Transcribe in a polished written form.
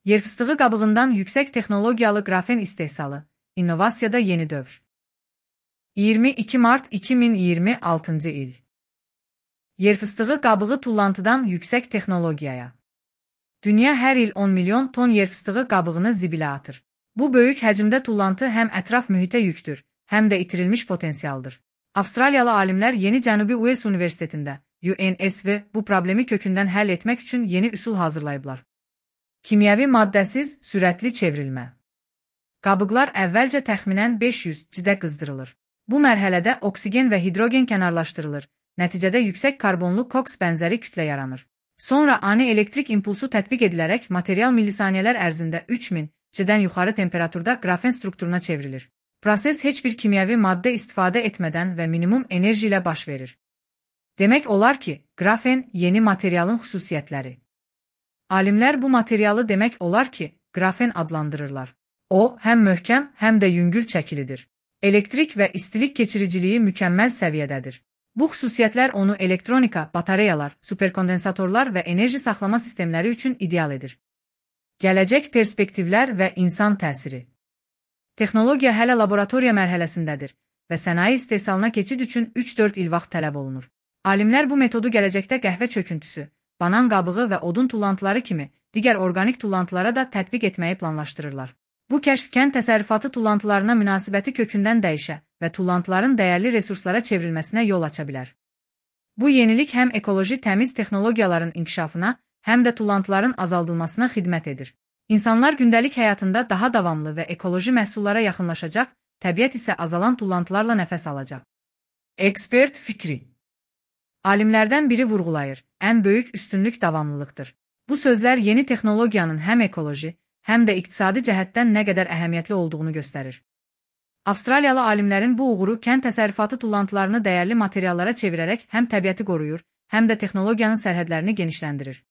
Yer fıstığı qabığından yüksək texnologiyalı qrafen istehsalı, innovasiyada yeni dövr. 22 Mart 2026 il. Yer fıstığı qabığı tullantıdan yüksək texnologiyaya. Dünya hər il 10 milyon ton yer fıstığı qabığını zibilə atır. Bu böyük həcmdə tullantı həm ətraf mühitə yükdür, həm də itirilmiş potensialdır. Avstraliyalı alimlər Yeni Cənubi Wales Universitetində, UNSW, bu problemi kökündən həll etmək üçün yeni üsul hazırlayıblar. Kimyəvi maddəsiz, sürətli çevrilmə. Qabıqlar əvvəlcə təxminən 500 C-də qızdırılır. Bu mərhələdə oksigen və hidrogen kənarlaşdırılır, nəticədə yüksək karbonlu koks bənzəri kütlə yaranır. Sonra ani elektrik impulsu tətbiq edilərək material millisaniyələr ərzində 3000 C-dən yuxarı temperaturda qrafen strukturuna çevrilir. Proses heç bir kimyəvi maddə istifadə etmədən və minimum enerji ilə baş verir. Demək olar ki, qrafen yeni materialın xüsusiyyətləri. Alimlər bu materialı demək olar ki, qrafen adlandırırlar. O, həm möhkəm, həm də yüngül çəkilidir. Elektrik və istilik keçiriciliyi mükəmməl səviyyədədir. Bu xüsusiyyətlər onu elektronika, batareyalar, superkondensatorlar və enerji saxlama sistemləri üçün ideal edir. Gələcək perspektivlər və insan təsiri. Texnologiya hələ laboratoriya mərhələsindədir və sənaye istehsalına keçid üçün 3-4 il vaxt tələb olunur. Alimlər bu metodu gələcəkdə qəhvə çöküntüsü, banan qabığı və odun tullantıları kimi digər orqanik tullantılara da tətbiq etməyi planlaşdırırlar. Bu kəşf kənd təsərrüfatı tullantılarına münasibəti kökündən dəyişə və tullantıların dəyərli resurslara çevrilməsinə yol aça bilər. Bu yenilik həm ekoloji təmiz texnologiyaların inkişafına, həm də tullantıların azaldılmasına xidmət edir. İnsanlar gündəlik həyatında daha davamlı və ekoloji məhsullara yaxınlaşacaq, təbiət isə azalan tullantılarla nəfəs alacaq. Ekspert fikri. Alimlərdən biri vurğulayır, ən böyük üstünlük davamlılıqdır. Bu sözlər yeni texnologiyanın həm ekoloji, həm də iqtisadi cəhətdən nə qədər əhəmiyyətli olduğunu göstərir. Avstraliyalı alimlərin bu uğuru kənd təsərrüfatı tullantılarını dəyərli materiallara çevirərək həm təbiəti qoruyur, həm də texnologiyanın sərhədlərini genişləndirir.